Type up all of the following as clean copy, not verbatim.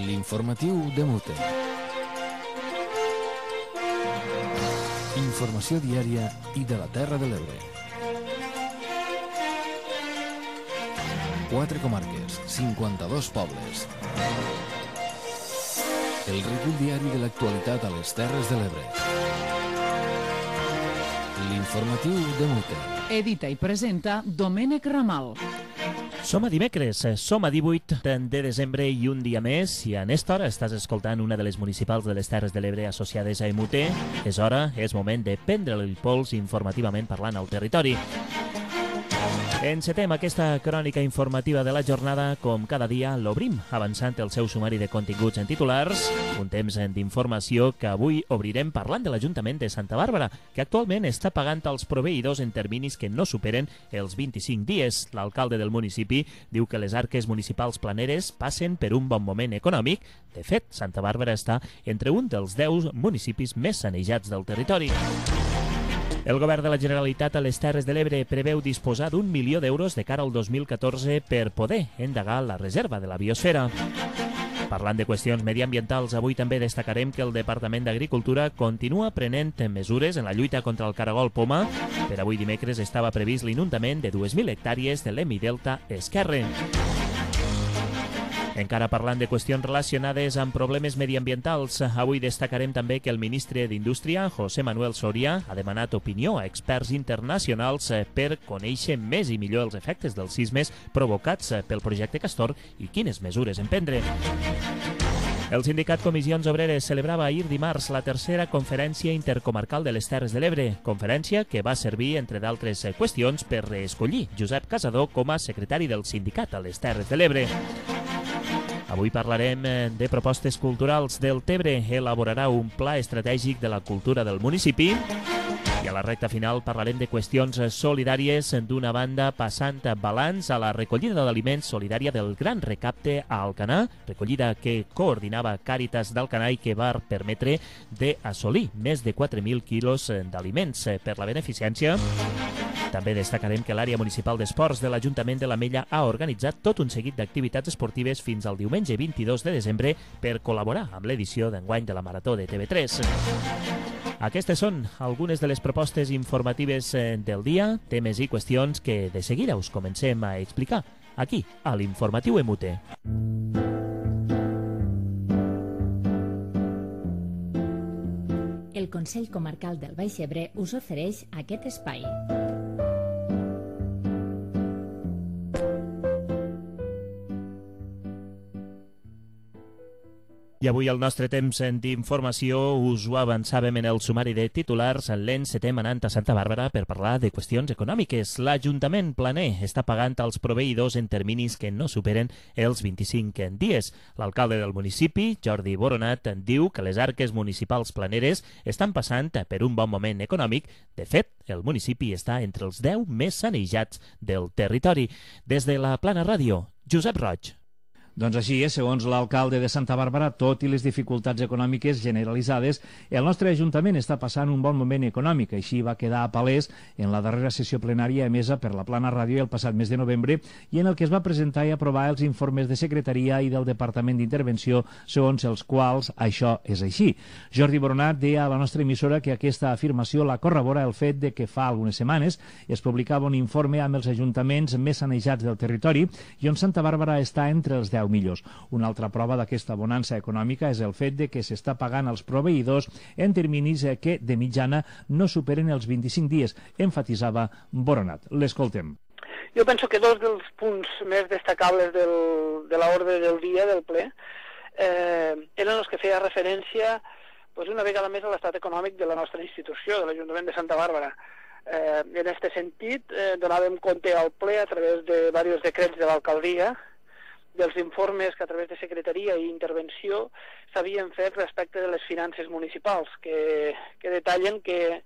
L'informatiu de Mute. Informació diària i de la Terra de l'Ebre. 4 comarques, 52 pobles. El recull diari de l'actualitat a les Terres de l'Ebre. L'informatiu de Mute. Edita i presenta Domènec Ramal. Som a dimecres, som a 18 de desembre i un dia més, i en esta hora estàs escoltant una de les municipals de les Terres de l'Ebre associades a EMUT. És hora, és moment de prendre el pols informativament parlant al territori. Encetem aquesta crònica informativa de la jornada. Com cada dia l'obrim avançant el seu sumari de continguts en titulars, un temps d'informació que avui obrirem parlant de l'Ajuntament de Santa Bàrbara, que actualment està pagant als proveïdors en terminis que no superen els 25 dies. L'alcalde del municipi diu que les arques municipals planeres passen per un bon moment econòmic. De fet, Santa Bàrbara està entre un dels 10 municipis més sanejats del territori. El govern de la Generalitat a les Terres de l'Ebre preveu disposar d'1 milió d'euros de cara al 2014 per poder endegar la reserva de la biosfera. Parlant de qüestions mediambientals, avui també destacarem que el Departament d'Agricultura continua prenent mesures en la lluita contra el caragol poma. Per avui dimecres estava previst l'inundament de 2.000 hectàrees de l'Hemidelta Esquerre. Encara parlant de qüestions relacionades amb problemes mediambientals, avui destacarem també que el ministre d'Indústria, José Manuel Soria, ha demanat opinió a experts internacionals per conèixer més i millor els efectes dels sismes provocats pel projecte Castor i quines mesures emprendre. El sindicat Comissions Obreres celebrava ahir dimarts la tercera conferència intercomarcal de les Terres de l'Ebre, conferència que va servir, entre d'altres qüestions, per reescollir Josep Casador com a secretari del sindicat a les Terres de l'Ebre. Avui parlarem de propostes culturals. Del Tebre elaborarà un pla estratègic de la cultura del municipi. I a la recta final parlarem de qüestions solidàries, d'una banda passant balanç a la recollida d'aliments solidària del Gran Recapte a Alcanar, recollida que coordinava Càritas d'Alcanar i que va permetre d'assolir més de 4.000 quilos d'aliments per la beneficència. També destacarem que l'àrea municipal d'esports de l'Ajuntament de l'Ametlla ha organitzat tot un seguit d'activitats esportives fins al diumenge 22 de desembre per col·laborar amb l'edició d'enguany de la Marató de TV3. Aquestes són algunes de les propostes informatives del dia, temes i qüestions que de seguida us comencem a explicar aquí, a l'Informatiu EMUT. El Consell Comarcal del Baix Ebre us ofereix aquest espai. I avui el nostre temps d'informació us ho avançàvem en el sumari de titulars. L'encetem anant a Santa Bàrbara per parlar de qüestions econòmiques. L'Ajuntament planer està pagant als proveïdors en terminis que no superen els 25 dies. L'alcalde del municipi, Jordi Boronat, diu que les arques municipals planeres estan passant per un bon moment econòmic. De fet, el municipi està entre els 10 més sanejats del territori. Des de la Plana Ràdio, Josep Roig. Doncs així és, segons l'alcalde de Santa Bàrbara, tot i les dificultats econòmiques generalitzades, el nostre Ajuntament està passant un bon moment econòmic. Així va quedar palès en la darrera sessió plenària emesa per la Plana Ràdio el passat mes de novembre i en el que es va presentar i aprovar els informes de secretaria i del Departament d'Intervenció, segons els quals això és així. Jordi Boronat deia a la nostra emissora que aquesta afirmació la corrobora el fet de que fa algunes setmanes es publicava un informe amb els ajuntaments més sanejats del territori i on Santa Bàrbara està entre els 10 millors. Una altra prova d'aquesta bonança econòmica és el fet de que s'està pagant als proveïdors en terminis que de mitjana no superen els 25 dies, enfatitzava Boronat. L'escoltem. Jo penso que dos dels punts més destacables de l'ordre del dia del ple eren els que feia referència una vegada més a l'estat econòmic de la nostra institució, de l'Ajuntament de Santa Bàrbara. En aquest sentit, donàvem compte al ple a través de diversos decrets de l'alcaldia dels informes que a través de secretaria i intervenció s'havien fet respecte de les finances municipals, que detallen que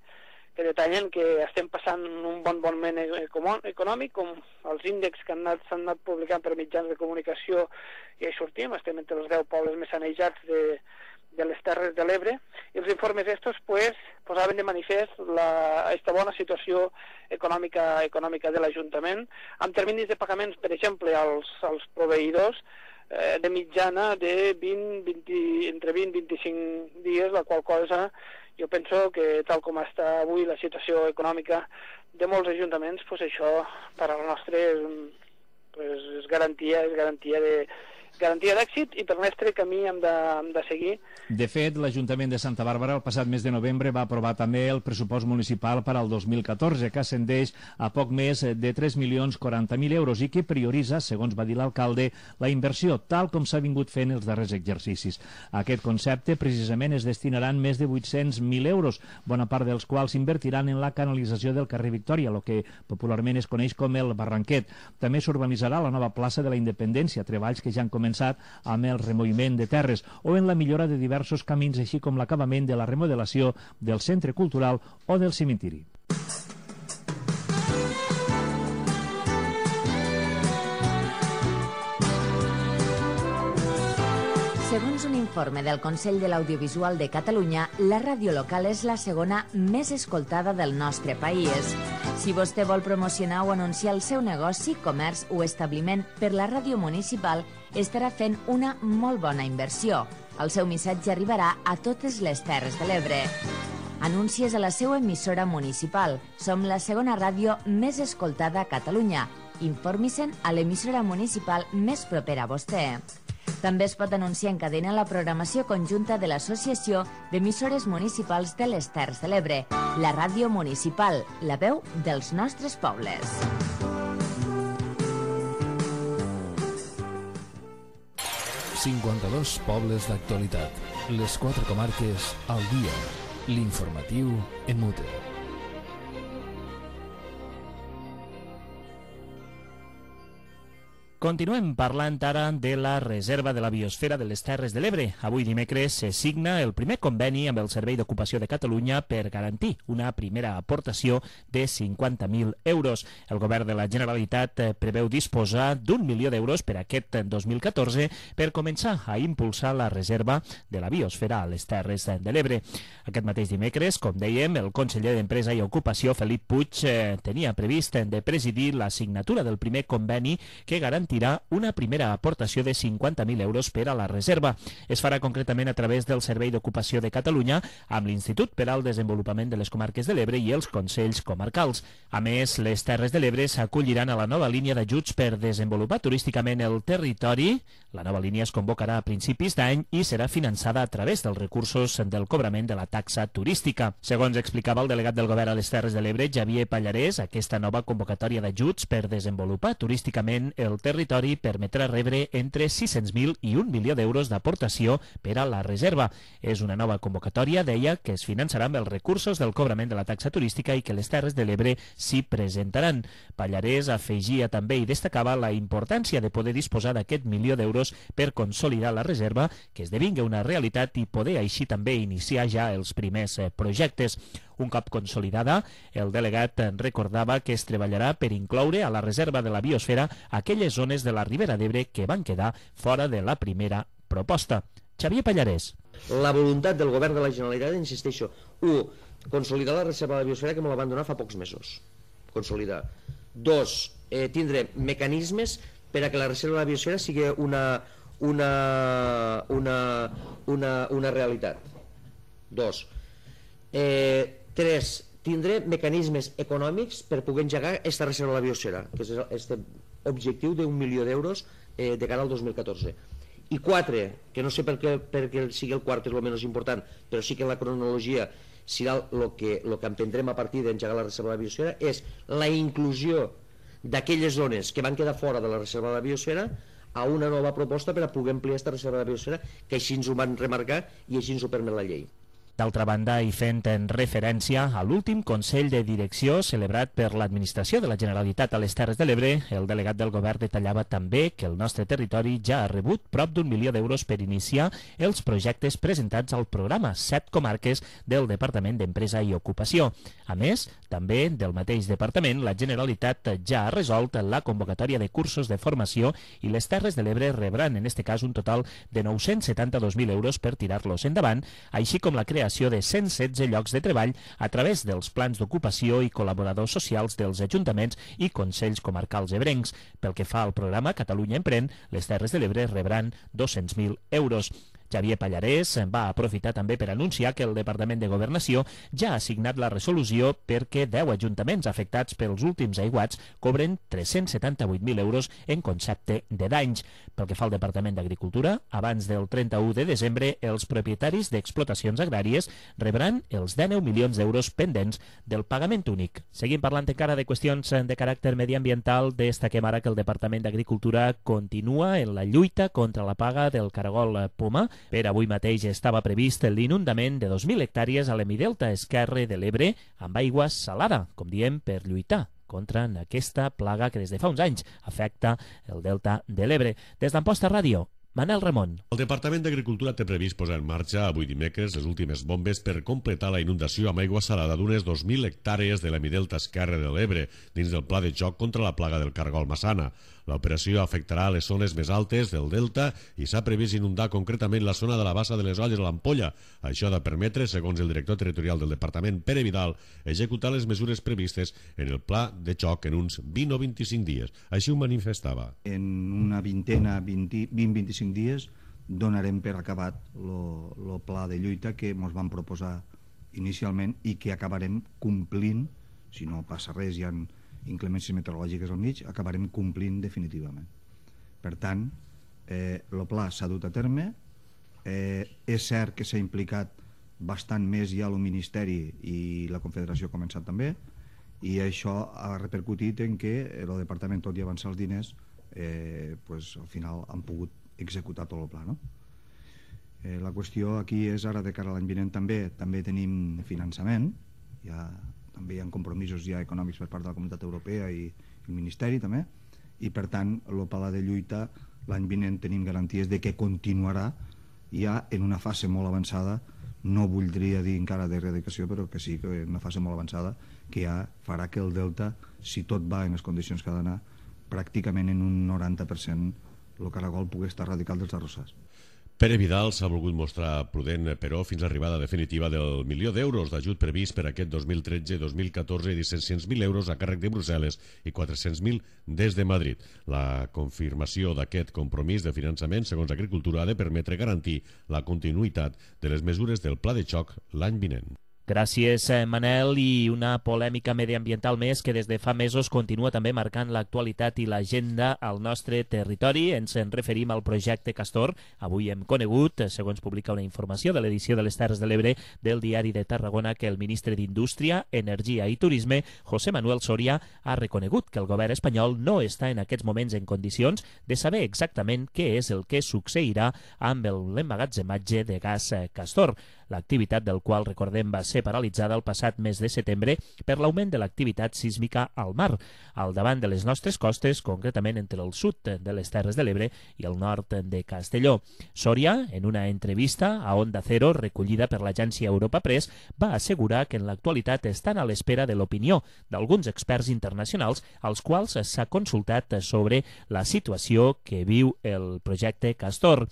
estem passant un bon moment econòmic, com els índexs que s'han anat publicant per mitjans de comunicació, i hi sortim, estem entre els 10 pobles més sanejats de les Terres de l'Ebre, i els informes estos posaven de manifest aquesta bona situació econòmica de l'Ajuntament, amb terminis de pagaments, per exemple, als proveïdors, de mitjana de entre 20 i 25 dies, la qual cosa jo penso que tal com està avui la situació econòmica de molts ajuntaments, pues això per a la nostra és garantia d'èxit i per nostre camí hem de seguir. De fet, l'Ajuntament de Santa Bàrbara el passat mes de novembre va aprovar també el pressupost municipal per al 2014, que ascendeix a poc més de 3.040.000 euros i que prioritza, segons va dir l'alcalde, la inversió, tal com s'ha vingut fent els darrers exercicis. A aquest concepte, precisament, es destinaran més de 800.000 euros, bona part dels quals s'invertiran en la canalització del carrer Victòria, el que popularment es coneix com el Barranquet. També s'urbanitzarà la nova plaça de la Independència, treballs que ja han començat amb el removiment de terres o en la millora de diversos camins, així com l'acabament de la remodelació del centre cultural o del cementiri. Segons un informe del Consell de l'Audiovisual de Catalunya, la ràdio local és la segona més escoltada del nostre país. Si vostè vol promocionar o anunciar el seu negoci, comerç o establiment per la ràdio municipal, estarà fent una molt bona inversió. El seu missatge arribarà a totes les Terres de l'Ebre. Anuncies a la seva emissora municipal. Som la segona ràdio més escoltada a Catalunya. Informi-se'n a l'emissora municipal més propera a vostè. També es pot anunciar en cadena la programació conjunta de l'Associació d'Emissores Municipals de les Terres de l'Ebre, la ràdio municipal, la veu dels nostres pobles. ...52 pobles d'actualitat. Les 4 comarques al dia. L'informatiu en Mute. Continuem parlant ara de la reserva de la biosfera de les Terres de l'Ebre. Avui dimecres se signa el primer conveni amb el Servei d'Ocupació de Catalunya per garantir una primera aportació de 50.000 euros. El govern de la Generalitat preveu disposar d'1 milió d'euros per aquest 2014 per començar a impulsar la reserva de la biosfera a les Terres de l'Ebre. Aquest mateix dimecres, com dèiem, el conseller d'Empresa i Ocupació, Felip Puig, tenia previst de presidir la signatura del primer conveni que garantirà una primera aportació de 50.000 euros per a la reserva. Es farà concretament a través del Servei d'Ocupació de Catalunya amb l'Institut per al Desenvolupament de les Comarques de l'Ebre i els Consells Comarcals. A més, les Terres de l'Ebre s'acolliran a la nova línia d'ajuts per desenvolupar turísticament el territori. La nova línia es convocarà a principis d'any i serà finançada a través dels recursos del cobrament de la taxa turística. Segons explicava el delegat del govern a les Terres de l'Ebre, Xavier Pallarès, aquesta nova convocatòria d'ajuts per desenvolupar turísticament el territori permetrà rebre entre 600.000 i 1 milió d'euros d'aportació per a la reserva. És una nova convocatòria, deia, que es finançarà amb els recursos del cobrament de la taxa turística i que les Terres de l'Ebre s'hi presentaran. Pallarès afegia també i destacava la importància de poder disposar d'aquest milió d'euros per consolidar la reserva, que esdevingui una realitat i poder així també iniciar ja els primers projectes. Un cop consolidada, el delegat recordava que es treballarà per incloure a la reserva de la biosfera aquelles zones de la Ribera d'Ebre que van quedar fora de la primera proposta. Xavier Pallarès. La voluntat del govern de la Generalitat, insisteixo, 1. Consolidar la reserva de la biosfera que me la van donar fa pocs mesos. Consolidar. 2. Tindre mecanismes per a que la reserva de la biosfera sigui una realitat. 2. 3. Tindre mecanismes econòmics per poder engegar aquesta reserva de la biosfera, que és aquest objectiu d'1 milió d'euros de cara al 2014. I 4, que no sé per què sigui el quart és el menys important, però sí que en la cronologia serà el que emprendrem a partir d'engegar la reserva de la biosfera, és la inclusió d'aquelles zones que van quedar fora de la reserva de la biosfera a una nova proposta per a poder ampliar aquesta reserva de la biosfera, que així ens ho van remarcar i així ens ho permet la llei. D'altra banda, i fent en referència a l'últim Consell de Direcció celebrat per l'Administració de la Generalitat a les Terres de l'Ebre, el delegat del govern detallava també que el nostre territori ja ha rebut prop d'1 milió d'euros per iniciar els projectes presentats al programa 7 comarques del Departament d'Empresa i Ocupació. A més, també del mateix departament, la Generalitat ja ha resolt la convocatòria de cursos de formació i les Terres de l'Ebre rebran en aquest cas un total de 972.000 euros per tirar-los endavant, així com la creació creació de 116 llocs de treball a través dels plans d'ocupació i col·laboradors socials dels ajuntaments i consells comarcals ebrencs. Pel que fa al programa Catalunya Emprèn, les Terres de l'Ebre rebran 200.000 euros. Xavier Pallarès va aprofitar també per anunciar que el Departament de Governació ja ha signat la resolució perquè 10 ajuntaments afectats pels últims aiguats cobren 378.000 euros en concepte de danys. Pel que fa al Departament d'Agricultura, abans del 31 de desembre, els propietaris d'explotacions agràries rebran els 19 milions d'euros pendents del pagament únic. Seguim parlant encara de qüestions de caràcter mediambiental. Destaquem ara que el Departament d'Agricultura continua en la lluita contra la plaga del caragol poma. Per avui mateix estava previst l'inundament de 2.000 hectàrees a l'hemidelta esquerre de l'Ebre amb aigua salada, com diem, per lluitar contra aquesta plaga que des de fa uns anys afecta el delta de l'Ebre. Des d'Amposta Ràdio, Manel Ramon. El Departament d'Agricultura té previst posar en marxa avui dimecres les últimes bombes per completar la inundació amb aigua salada d'unes 2.000 hectàrees de l'hemidelta esquerre de l'Ebre dins del pla de xoc contra la plaga del caragol massana. L'operació afectarà les zones més altes del delta i s'ha previst inundar concretament la zona de la bassa de les Olles a l'Ampolla. Això ha de permetre, segons el director territorial del departament, Pere Vidal, executar les mesures previstes en el pla de xoc en uns 20 o 25 dies. Així ho manifestava. En una vintena, 20-25 dies, donarem per acabat el pla de lluita que ens van proposar inicialment i que acabarem complint, si no passa res, hi ha inclemències meteorològiques al mig, acabarem complint definitivament. Per tant, el pla s'ha dut a terme. És cert que s'ha implicat bastant més ja el Ministeri i la Confederació ha començat també, i això ha repercutit en que el Departament, tot i avançar els diners, al final han pogut executar tot el pla, no? La qüestió aquí és ara de cara a l'any vinent també tenim finançament, també hi ha compromisos ja econòmics per part de la Comunitat Europea i el Ministeri també, i per tant el pla de lluita l'any vinent tenim garanties de que continuarà ja en una fase molt avançada, no voldria dir encara d'erradicació, però que sí que en una fase molt avançada, que ja farà que el delta, si tot va en les condicions que ha d'anar, pràcticament en un 90% el caragol pugui estar erradicat dels arrossars. Pere Vidal s'ha volgut mostrar prudent, però, fins a l'arribada definitiva del milió d'euros d'ajut previst per aquest 2013-2014 i 600.000 euros a càrrec de Brussel·les i 400.000 des de Madrid. La confirmació d'aquest compromís de finançament, segons Agricultura, ha de permetre garantir la continuïtat de les mesures del pla de xoc l'any vinent. Gràcies, Manel. I una polèmica mediambiental més que des de fa mesos continua també marcant l'actualitat i l'agenda al nostre territori. Ens en referim al projecte Castor. Avui hem conegut, segons publica una informació de l'edició de les Terres de l'Ebre del Diari de Tarragona, que el ministre d'Indústria, Energia i Turisme, José Manuel Soria, ha reconegut que el govern espanyol no està en aquests moments en condicions de saber exactament què és el que succeirà amb l'emmagatzematge de gas Castor, l'activitat del qual, recordem, va ser paralitzada el passat mes de setembre per l'augment de l'activitat sísmica al mar, al davant de les nostres costes, concretament entre el sud de les Terres de l'Ebre i el nord de Castelló. Soria, en una entrevista a Onda Cero recollida per l'agència Europa Press, va assegurar que en l'actualitat estan a l'espera de l'opinió d'alguns experts internacionals als quals s'ha consultat sobre la situació que viu el projecte Castor.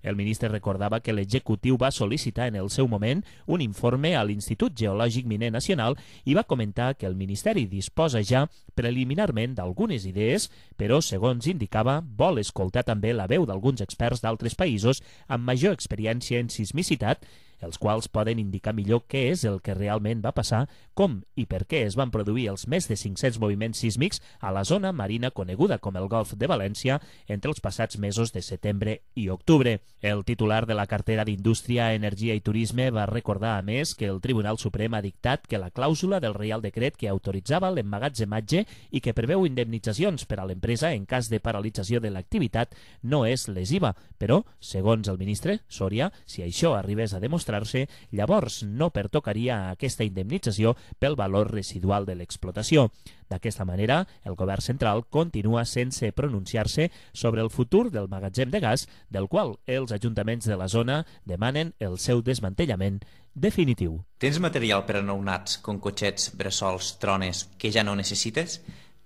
El ministre recordava que l'executiu va sol·licitar en el seu moment un informe a l'Institut Geològic Miner Nacional i va comentar que el Ministeri disposa ja preliminarment d'algunes idees, però, segons indicava, vol escoltar també la veu d'alguns experts d'altres països amb major experiència en sismicitat, els quals poden indicar millor què és el que realment va passar, com i per què es van produir els més de 500 moviments sísmics a la zona marina coneguda com el Golf de València entre els passats mesos de setembre i octubre. El titular de la cartera d'Indústria, Energia i Turisme va recordar, a més, que el Tribunal Suprem ha dictat que la clàusula del Reial Decret que autoritzava l'emmagatzematge i que preveu indemnitzacions per a l'empresa en cas de paralització de l'activitat no és lesiva, però, segons el ministre Soria, si això arribés a demostrar, llavors no pertocaria aquesta indemnització pel valor residual de l'explotació. D'aquesta manera, el govern central continua sense pronunciar-se sobre el futur del magatzem de gas, del qual els ajuntaments de la zona demanen el seu desmantellament definitiu. Tens material per a nounats com cotxets, bressols, trones que ja no necessites?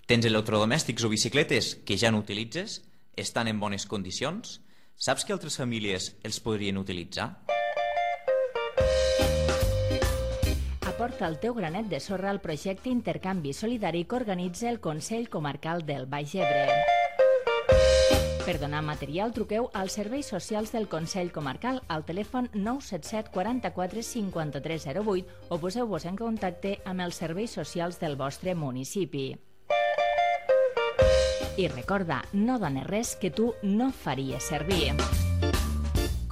Tens electrodomèstics o bicicletes que ja no utilitzes? Estan en bones condicions? Saps que altres famílies els podrien utilitzar? aporta el teu granet de sorra al projecte Intercanvi Solidari que organitza el Consell Comarcal del Baix Ebre. Per donar material, truqueu als serveis socials del Consell Comarcal al telèfon 977 44 53 08 o poseu-vos en contacte amb els serveis socials del vostre municipi. I recorda, no dones res que tu no faries servir.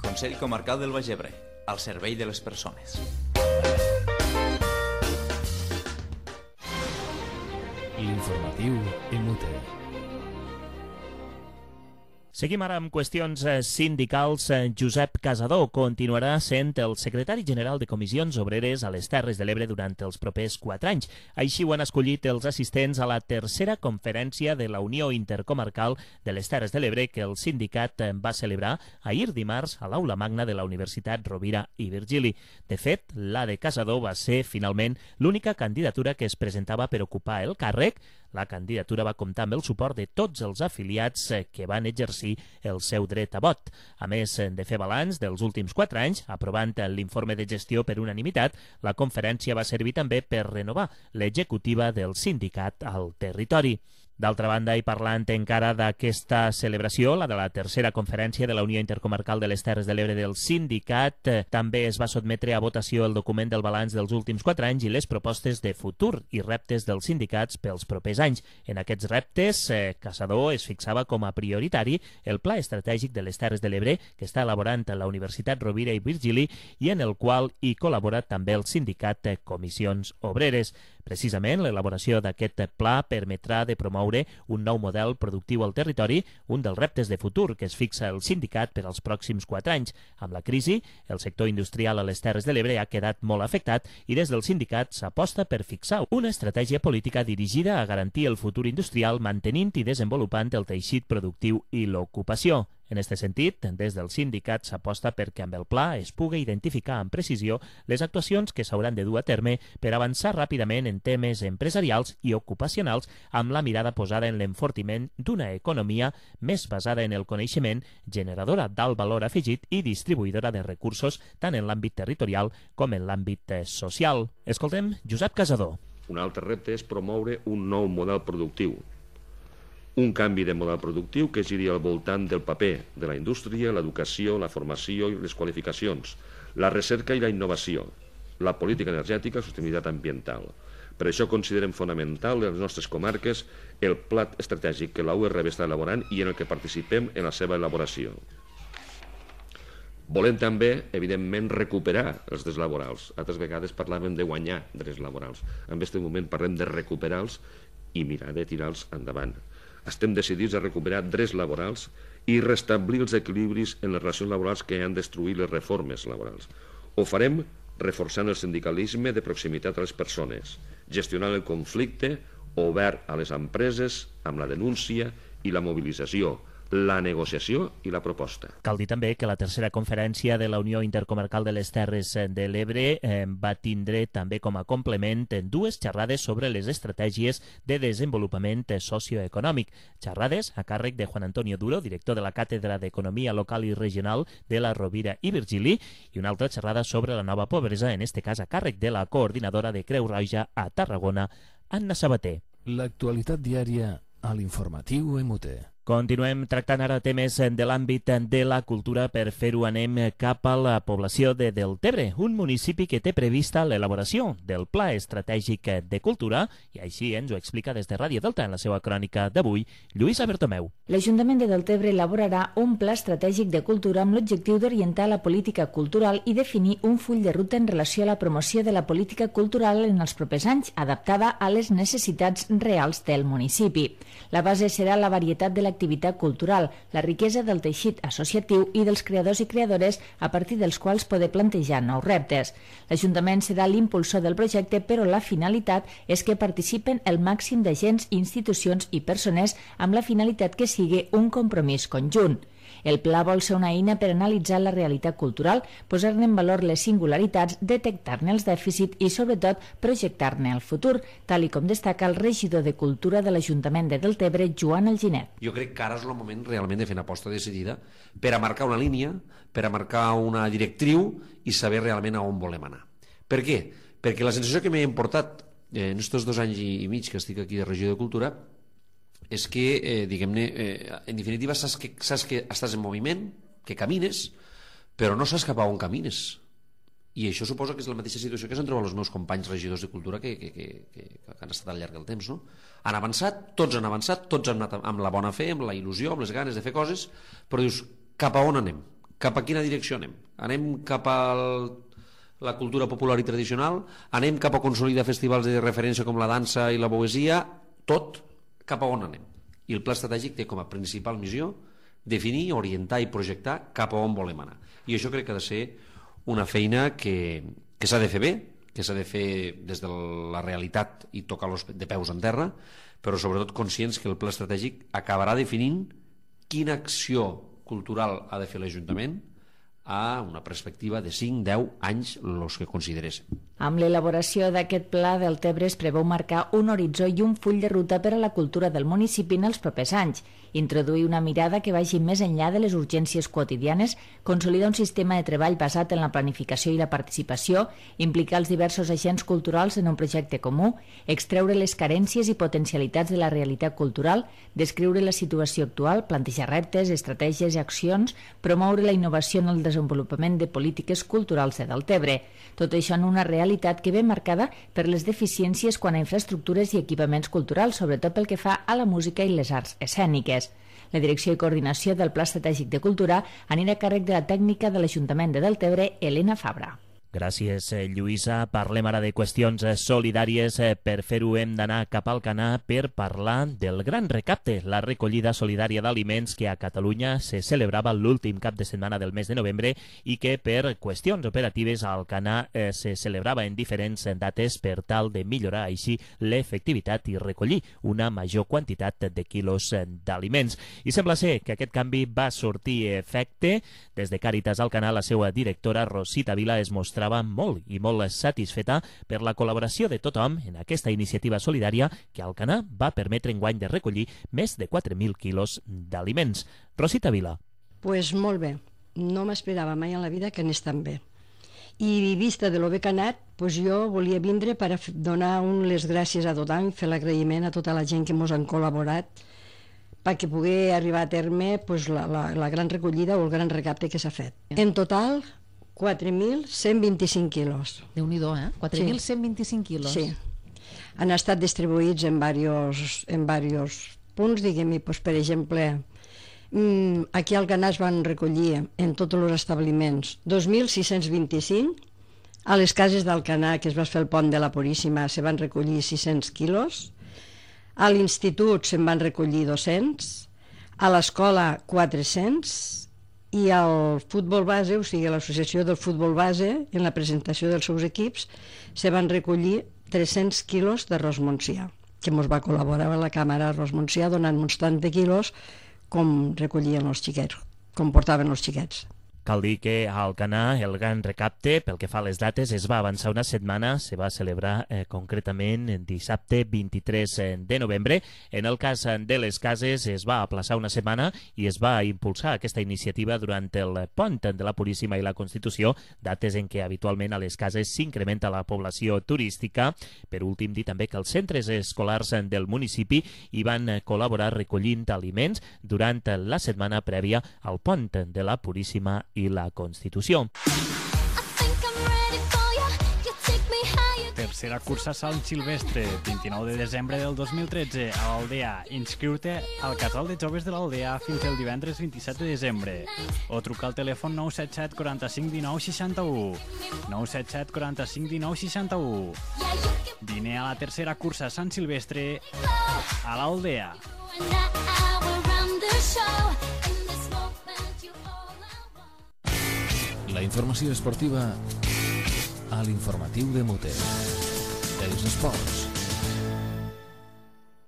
Consell Comarcal del Baix Ebre, al servei de les persones. L'informatiu MUT. Seguim ara amb qüestions sindicals. Josep Casador continuarà sent el secretari general de Comissions Obreres a les Terres de l'Ebre durant els propers 4 anys. Així ho han escollit els assistents a la tercera conferència de la Unió Intercomarcal de les Terres de l'Ebre que el sindicat va celebrar ahir dimarts a l'Aula Magna de la Universitat Rovira i Virgili. De fet, la de Casador va ser finalment l'única candidatura que es presentava per ocupar el càrrec. La candidatura va comptar amb el suport de tots els afiliats que van exercir el seu dret a vot. A més de fer balanç dels últims 4 anys, aprovant l'informe de gestió per unanimitat, la conferència va servir també per renovar l'executiva del sindicat al territori. D'altra banda, i parlant encara d'aquesta celebració, la de la tercera conferència de la Unió Intercomarcal de les Terres de l'Ebre del sindicat, també es va sotmetre a votació el document del balanç dels últims 4 anys i les propostes de futur i reptes dels sindicats pels propers anys. En aquests reptes, Casador es fixava com a prioritari el Pla Estratègic de les Terres de l'Ebre que està elaborant la Universitat Rovira i Virgili i en el qual hi col·labora també el sindicat Comissions Obreres. Precisament, l'elaboració d'aquest pla permetrà de promoure un nou model productiu al territori, un dels reptes de futur que es fixa el sindicat per als pròxims 4 anys. Amb la crisi, el sector industrial a les Terres de l'Ebre ha quedat molt afectat i des del sindicat s'aposta per fixar una estratègia política dirigida a garantir el futur industrial mantenint i desenvolupant el teixit productiu i l'ocupació. En aquest sentit, des del sindicat s'aposta perquè amb el pla es pugui identificar amb precisió les actuacions que s'hauran de dur a terme per avançar ràpidament en temes empresarials i ocupacionals amb la mirada posada en l'enfortiment d'una economia més basada en el coneixement, generadora d'alt valor afegit i distribuïdora de recursos tant en l'àmbit territorial com en l'àmbit social. Escoltem Josep Casador. Un altre repte és promoure un nou model productiu. Un canvi de model productiu que giri al voltant del paper de la indústria, l'educació, la formació i les qualificacions, la recerca i la innovació, la política energètica i la sostenibilitat ambiental. Per això considerem fonamental en les nostres comarques el pla estratègic que la URB està elaborant i en el que participem en la seva elaboració. Volem també, evidentment, recuperar els drets laborals. Altres vegades parlàvem de guanyar drets laborals. En aquest moment parlem de recuperar-los i mirar de tirar-los endavant. Estem decidits a recuperar drets laborals i restablir els equilibris en les relacions laborals que han destruït les reformes laborals. Ho farem reforçant el sindicalisme de proximitat a les persones, gestionant el conflicte obert a les empreses amb la denúncia i la mobilització, la negociació i la proposta. Cal dir també que la tercera conferència de la Unió Intercomarcal de les Terres de l'Ebre va tindre també com a complement 2 xerrades sobre les estratègies de desenvolupament socioeconòmic. Xerrades a càrrec de Juan Antonio Duro, director de la Càtedra d'Economia Local i Regional de la Rovira i Virgili, i una altra xerrada sobre la nova pobresa, en este cas a càrrec de la coordinadora de Creu Roja a Tarragona, Anna Sabater. L'actualitat diària a l'informatiu MUT. Continuem tractant ara temes de l'àmbit de la cultura. Per fer-ho anem cap a la població de Deltebre, un municipi que té prevista l'elaboració del Pla Estratègic de Cultura, i així ens ho explica des de Ràdio Delta en la seva crònica d'avui, Lluïsa Bertomeu. L'Ajuntament de Deltebre elaborarà un pla estratègic de cultura amb l'objectiu d'orientar la política cultural i definir un full de ruta en relació a la promoció de la política cultural en els propers anys, adaptada a les necessitats reals del municipi. La base serà la varietat de l'activitat cultural, la riquesa del teixit associatiu i dels creadors i creadores a partir dels quals poder plantejar nous reptes. L'Ajuntament serà l'impulsor del projecte, però la finalitat és que participen el màxim d'agents, institucions i persones amb la finalitat que sigui un compromís conjunt. El pla vol ser una eina per analitzar la realitat cultural, posar-ne en valor les singularitats, detectar-ne els dèficits i, sobretot, projectar-ne el futur, tal i com destaca el regidor de Cultura de l'Ajuntament de Deltebre, Joan Alginet. Jo crec que ara és el moment realment de fer una aposta decidida per a marcar una línia, per a marcar una directriu i saber realment a on volem anar. Per què? perquè la sensació que m'he emportat en aquests 2 anys i mig que estic aquí de Regió de Cultura és que, diguem-ne, en definitiva saps que estàs en moviment, que camines, però no saps cap a on camines. I això suposa que és la mateixa situació que s'han trobat els meus companys regidors de Cultura que han estat al llarg del temps, no? Han avançat, tots han anat amb la bona fe, amb la il·lusió, amb les ganes de fer coses, però dius, cap a on anem? Cap a quina direcció anem? Anem cap a la cultura popular i tradicional? Anem cap a consolidar festivals de referència com la dansa i la poesia? Tot, cap a on anem? I el pla estratègic té com a principal missió definir, orientar i projectar cap a on volem anar. I això crec que ha de ser una feina que s'ha de fer bé, que s'ha de fer des de la realitat i tocar-los de peus en terra, però sobretot conscients que el pla estratègic acabarà definint quina acció cultural ha de fer l'Ajuntament a una perspectiva de 5-10 anys els que consideréssim. Amb l'elaboració d'aquest pla, Deltebre es preveu marcar un horitzó i un full de ruta per a la cultura del municipi en els propers anys, introduir una mirada que vagi més enllà de les urgències quotidianes, consolidar un sistema de treball basat en la planificació i la participació, implicar els diversos agents culturals en un projecte comú, extreure les carències i potencialitats de la realitat cultural, descriure la situació actual, plantejar reptes, estratègies i accions, promoure la innovació en el desenvolupament de polítiques culturals de Deltebre. Tot això en una realitat que ve marcada per les deficiències quant a infraestructures i equipaments culturals, sobretot pel que fa a la música i les arts escèniques. La direcció i coordinació del Pla Estratègic de Cultura anirà a càrrec de la tècnica de l'Ajuntament de Deltebre, Helena Fabra. Gràcies, Lluïsa. Parlem ara de qüestions solidàries. Per fer-ho hem d'anar cap al Canà per parlar del Gran Recapte, la recollida solidària d'aliments que a Catalunya se celebrava l'últim cap de setmana del mes de novembre i que per qüestions operatives al Canà se celebrava en diferents dates per tal de millorar així l'efectivitat i recollir una major quantitat de quilos d'aliments. I sembla ser que aquest canvi va sortir efecte. Des de Càritas al Canà, la seva directora, Rosita Vila, es mostrava molt i molt satisfeta per la col·laboració de tothom en aquesta iniciativa solidària que al Canà va permetre enguany de recollir més de 4.000 quilos d'aliments. Rosita Vila. Pues molt bé. No m'esperava mai en la vida que anés tan bé. I vista de lo bé que ha anat, pues jo volia vindre per donar les gràcies a tothom, fer l'agraïment a tota la gent que ens han col·laborat perquè pugui arribar a terme pues, la gran recollida o el gran recapte que s'ha fet. En total, 4.125 quilos. Déu-n'hi-do, 4.125 quilos. Sí. Han estat distribuïts en diversos punts, diguem-hi, doncs, per exemple, aquí al Canà es van recollir en tots els establiments 2.625, a les cases d'Alcanar, que es va fer el pont de la Puríssima, se van recollir 600 quilos, a l'institut se'n van recollir 200, a l'escola 400, i al futbol base, o sigui, a l'associació del futbol base, en la presentació dels seus equips, se van recollir 300 quilos d'arròs Montsià, que ens va col·laborar a la Càmera Arròs Montsià donant-nos tant de quilos com recollien els xiquets, com portaven els xiquets. Cal dir que a Alcanar el Gran Recapte, pel que fa a les dates, es va avançar una setmana, se va celebrar concretament dissabte 23 de novembre. En el cas de les cases es va aplaçar una setmana i es va impulsar aquesta iniciativa durant el pont de la Puríssima i la Constitució, dates en què habitualment a les cases s'incrementa la població turística. Per últim, dir també que els centres escolars del municipi hi van col·laborar recollint aliments durant la setmana prèvia al pont de la Puríssima i la Constitució. Tercera cursa Sant Silvestre, 29 de desembre del 2013, a l'Aldea. Inscriu-te al casal de joves de l'Aldea fins el divendres 27 de desembre. O truca al telèfon 977 45 19 61. 977 45 19 61. Vine a la tercera cursa Sant Silvestre a l'Aldea. La informació esportiva a l'informatiu de Mote. Els esports.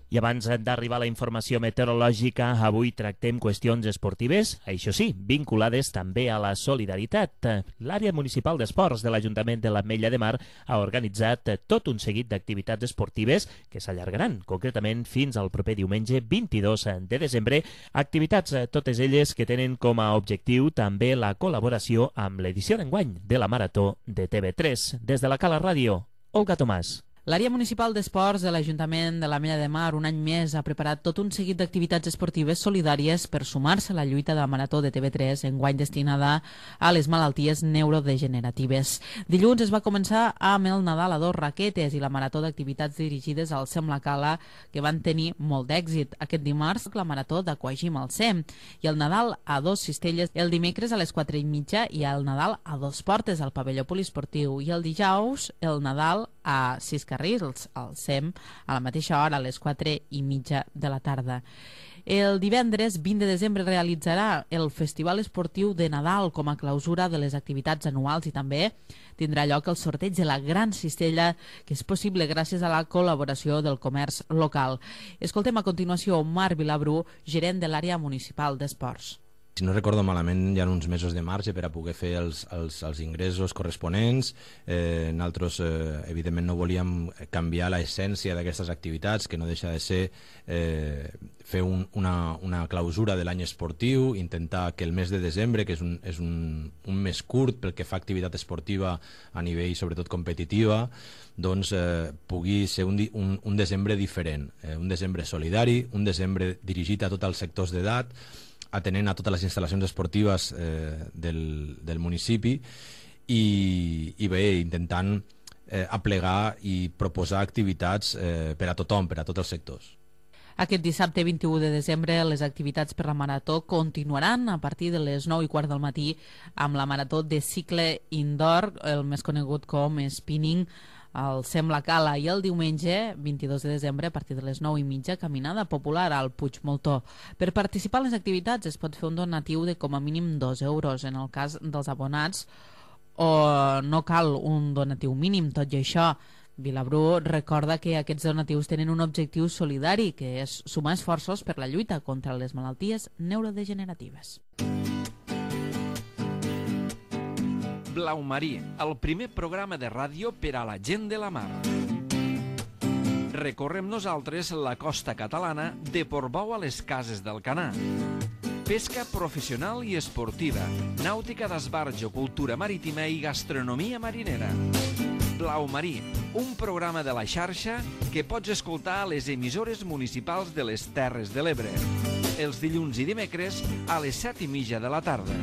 I abans d'arribar a la informació meteorològica, avui tractem qüestions esportives, això sí, vinculades també a la solidaritat. L'àrea municipal d'esports de l'Ajuntament de l'Ametlla de Mar ha organitzat tot un seguit d'activitats esportives que s'allargaran, concretament fins al proper diumenge 22 de desembre, activitats totes elles que tenen com a objectiu també la col·laboració amb l'edició d'enguany de la Marató de TV3. Des de la Cala Ràdio, Olga Tomàs. L'àrea municipal d'esports de l'Ajuntament de l'Ametlla de Mar un any més ha preparat tot un seguit d'activitats esportives solidàries per sumar-se a la lluita de la Marató de TV3, enguany destinada a les malalties neurodegeneratives. Dilluns es va començar amb el Nadal a 2 raquetes i la Marató d'activitats dirigides al Sem la Cala, que van tenir molt d'èxit. Aquest dimarts, la Marató d'Aquagym al Sem, i el Nadal a 2 cistelles el dimecres a les 4:30 i el Nadal a 2 portes al pavelló poliesportiu, i el dijous el Nadal a 6 carrils al Sem a la mateixa hora, a les 4:30 de la tarda. El divendres 20 de desembre realitzarà el Festival Esportiu de Nadal com a clausura de les activitats anuals i també tindrà lloc el sorteig de la Gran Cistella, que és possible gràcies a la col·laboració del comerç local. Escoltem a continuació Marc Vilabrú, gerent de l'àrea municipal d'esports. Si no recordo malament, hi ha uns mesos de marge per a poder fer els ingressos corresponents. Nosaltres, evidentment, no volíem canviar l'essència d'aquestes activitats, que no deixa de ser fer una clausura de l'any esportiu, intentar que el mes de desembre, que és un mes curt pel que fa a activitat esportiva a nivell, sobretot, competitiva, doncs pugui ser un desembre diferent, un desembre solidari, un desembre dirigit a tots els sectors d'edat, atenent a totes les instal·lacions esportives del municipi i bé, intentant aplegar i proposar activitats per a tothom, per a tots els sectors. Aquest dissabte 21 de desembre les activitats per la Marató continuaran a partir de les 9:15 del matí amb la Marató de cicle indoor, el més conegut com spinning, al Sem la Cala, i el diumenge 22 de desembre a partir de les 9:30 caminada popular al Puig Moltó. Per participar en les activitats es pot fer un donatiu de com a mínim 2 euros en el cas dels abonats, o no cal un donatiu mínim. Tot i això, Vilabrú recorda que aquests donatius tenen un objectiu solidari, que és sumar esforços per la lluita contra les malalties neurodegeneratives. Blau Marí, el primer programa de ràdio per a la gent de la mar. Recorrem nosaltres la costa catalana de Portbou a les Cases del Canà. Pesca professional i esportiva, nàutica d'esbarjo, cultura marítima i gastronomia marinera. Blau Marí, un programa de la xarxa que pots escoltar a les emissores municipals de les Terres de l'Ebre. Els dilluns i dimecres a les 7:30 de la tarda.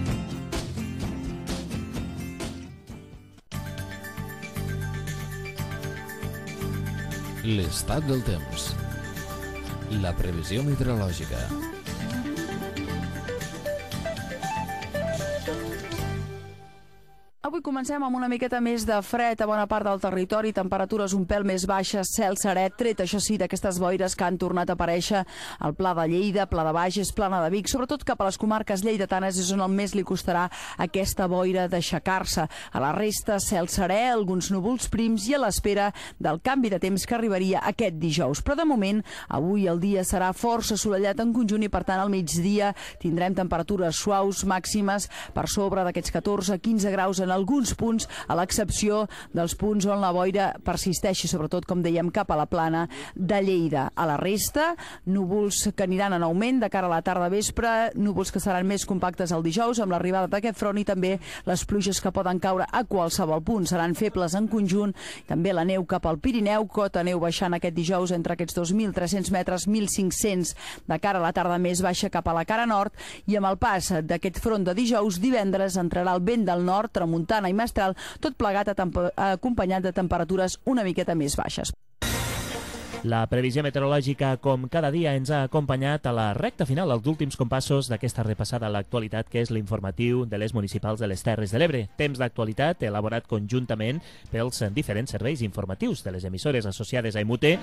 L'estat del temps. La previsió meteorològica. Avui comencem amb una miqueta més de fred a bona part del territori, temperatures un pèl més baixes, cel serè, tret, això sí, d'aquestes boires que han tornat a aparèixer al Pla de Lleida, Pla de Bages, Plana de Vic, sobretot cap a les comarques lleidatanes és on el més li costarà aquesta boira d'aixecar-se. A la resta, cel serè, alguns núvols prims i a l'espera del canvi de temps que arribaria aquest dijous. Però de moment, avui el dia serà força assolellat en conjunt i per tant al migdia tindrem temperatures suaus màximes per sobre d'aquests 14-15 graus en alguns punts, a l'excepció dels punts on la boira persisteixi, sobretot, com dèiem, cap a la plana de Lleida. A la resta, núvols que aniran en augment de cara a la tarda vespre, núvols que seran més compactes el dijous amb l'arribada d'aquest front i també les pluges que poden caure a qualsevol punt. Seran febles en conjunt, també la neu cap al Pirineu, cota neu baixant aquest dijous entre aquests 2.300 metres, 1.500 de cara a la tarda més baixa cap a la cara nord, i amb el pas d'aquest front de dijous, divendres entrarà el vent del nord, tramuntana i mestral, tot plegat acompanyat de temperatures una miqueta més baixes. La previsió meteorològica, com cada dia, ens ha acompanyat a la recta final, als últims compassos d'aquesta repassada a l'actualitat, que és l'informatiu de les municipals de les Terres de l'Ebre. Temps d'actualitat elaborat conjuntament pels diferents serveis informatius de les emissores associades a IMUTE,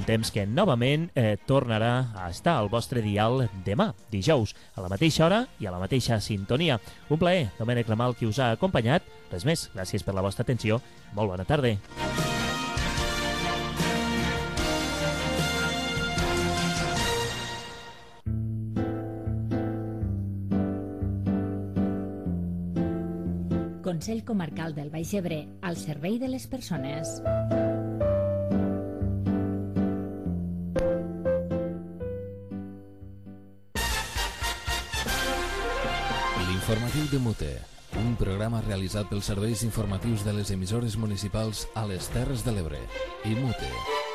un temps que novament tornarà a estar al vostre dial demà, dijous, a la mateixa hora i a la mateixa sintonia. Un plaer, Domènec Ramal, qui us ha acompanyat. Res més, gràcies per la vostra atenció. Molt bona tarda. Consell Comarcal del Baix Ebre, al servei de les persones. L'informatiu de Mute. Un programa realitzat pels serveis informatius de les emissores municipals a les Terres de l'Ebre i Mute.